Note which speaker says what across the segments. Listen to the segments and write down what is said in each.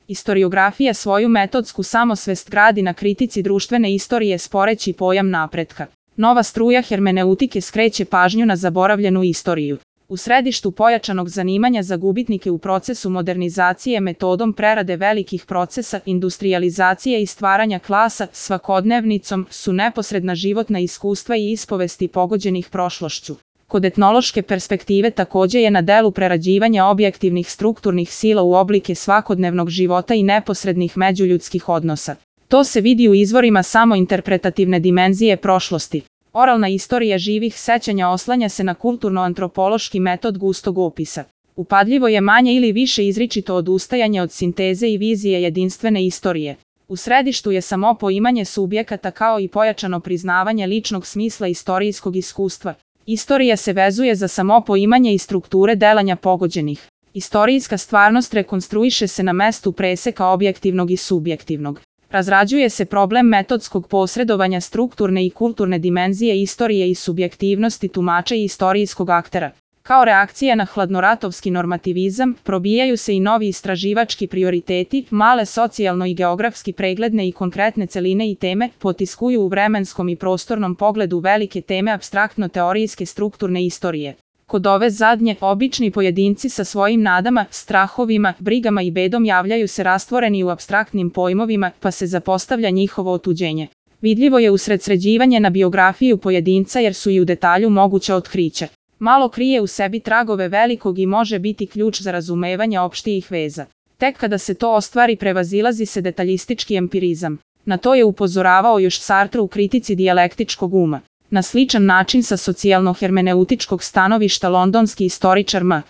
Speaker 1: Istoriografija svoju metodsku samosvest gradi na kritici društvene istorije sporeći pojam napretka. Nova struja hermeneutike skreće pažnju na zaboravljenu istoriju. U središtu pojačanog zanimanja za gubitnike u procesu modernizacije metodom prerade velikih procesa, industrijalizacije i stvaranja klasa, svakodnevnicom, su neposredna životna iskustva i ispovesti pogođenih prošlošću. Kod etnološke perspektive takođe je na delu prerađivanja objektivnih strukturnih sila u oblike svakodnevnog života i neposrednih međuljudskih odnosa. To se vidi u izvorima samointerpretativne dimenzije prošlosti. Oralna istorija živih sećanja oslanja se na kulturno-antropološki metod gustog opisa. Upadljivo je manje ili više izričito odustajanje od sinteze i vizije jedinstvene istorije. U središtu je samo poimanje subjekata kao i pojačano priznavanje ličnog smisla istorijskog iskustva. Istorija se vezuje za samo poimanje i strukture delanja pogođenih. Istorijska stvarnost rekonstruiše se na mestu preseka objektivnog i subjektivnog. Razrađuje se problem metodskog posredovanja strukturne i kulturne dimenzije istorije i subjektivnosti tumača i istorijskog aktera. Kao reakcija na hladnoratovski normativizam, probijaju se i novi istraživački prioriteti, male socijalno i geografski pregledne i konkretne celine i teme, potiskuju u vremenskom i prostornom pogledu velike teme apstraktno-teorijske strukturne istorije. Kod ove zadnje, obični pojedinci sa svojim nadama, strahovima, brigama i bedom javljaju se rastvoreni u apstraktnim pojmovima, pa se zapostavlja njihovo otuđenje. Vidljivo je usredsređivanje na biografiju pojedinca jer su i u detalju moguće otkriće. Malo krije u sebi tragove velikog i može biti ključ za razumevanje opštijih veza. Tek kada se to ostvari prevazilazi se detaljistički empirizam. Na to je upozoravao još Sartre u kritici dijalektičkog uma. Na sličan način sa socijalno-hermeneutičkog stanovišta londonski istoričar M.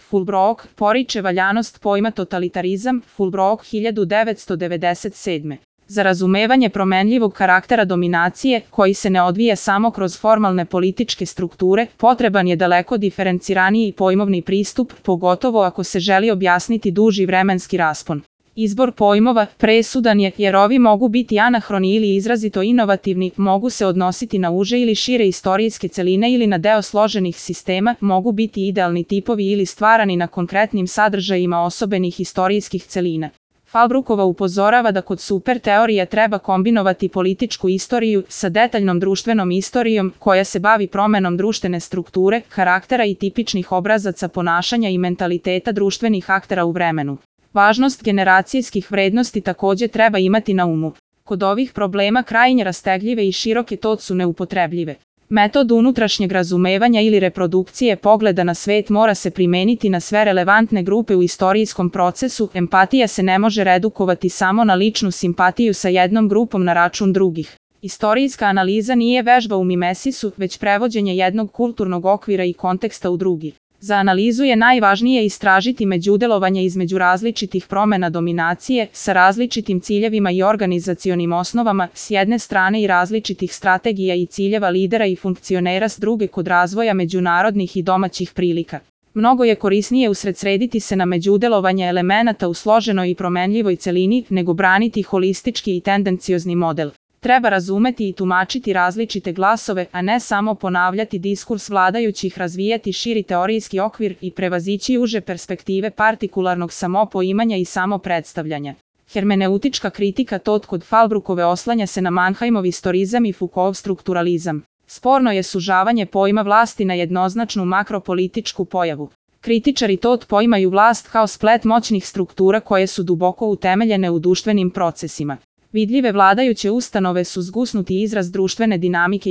Speaker 1: Fulbrook poriče valjanost pojma totalitarizam, Fulbrook 1997. Za razumevanje promenljivog karaktera dominacije, koji se ne odvija samo kroz formalne političke strukture, potreban je daleko diferenciraniji pojmovni pristup, pogotovo ako se želi objasniti duži vremenski raspon. Izbor pojmova presudan je jer ovi mogu biti anahroni ili izrazito inovativni, mogu se odnositi na uže ili šire istorijske celine ili na deo složenih sistema, mogu biti idealni tipovi ili stvarani na konkretnim sadržajima osobenih istorijskih celina. Fulbrookova upozorava da kod super teorija treba kombinovati političku istoriju sa detaljnom društvenom istorijom koja se bavi promenom društvene strukture, karaktera i tipičnih obrazaca ponašanja i mentaliteta društvenih aktera u vremenu. Važnost generacijskih vrednosti takođe treba imati na umu. Kod ovih problema krajnje rastegljive i široke to su neupotrebljive. Metod unutrašnjeg razumevanja ili reprodukcije pogleda na svet mora se primeniti na sve relevantne grupe u istorijskom procesu, empatija se ne može redukovati samo na ličnu simpatiju sa jednom grupom na račun drugih. Istorijska analiza nije vežba u mimesisu, već prevođenje jednog kulturnog okvira i konteksta u drugi. Za analizu je najvažnije istražiti međudelovanje između različitih promena dominacije, sa različitim ciljevima i organizacionim osnovama, s jedne strane i različitih strategija i ciljeva lidera i funkcionera s druge kod razvoja međunarodnih i domaćih prilika. Mnogo je korisnije usredsrediti se na međudelovanje elemenata u složenoj i promenljivoj celini, nego braniti holistički i tendenciozni model. Treba razumeti i tumačiti različite glasove, a ne samo ponavljati diskurs vladajućih, razvijati širi teorijski okvir i prevazići uže perspektive partikularnog samopoimanja i samopredstavljanja. Hermeneutička kritika kod Fulbrookove oslanja se na Mannheimov istorizam i Foucaultov strukturalizam. Sporno je sužavanje pojma vlasti na jednoznačnu makropolitičku pojavu. Kritičari poimaju vlast kao splet moćnih struktura koje su duboko utemeljene u društvenim procesima. Vidljive vladajuće ustanove su zgusnuti izraz društvene dinamike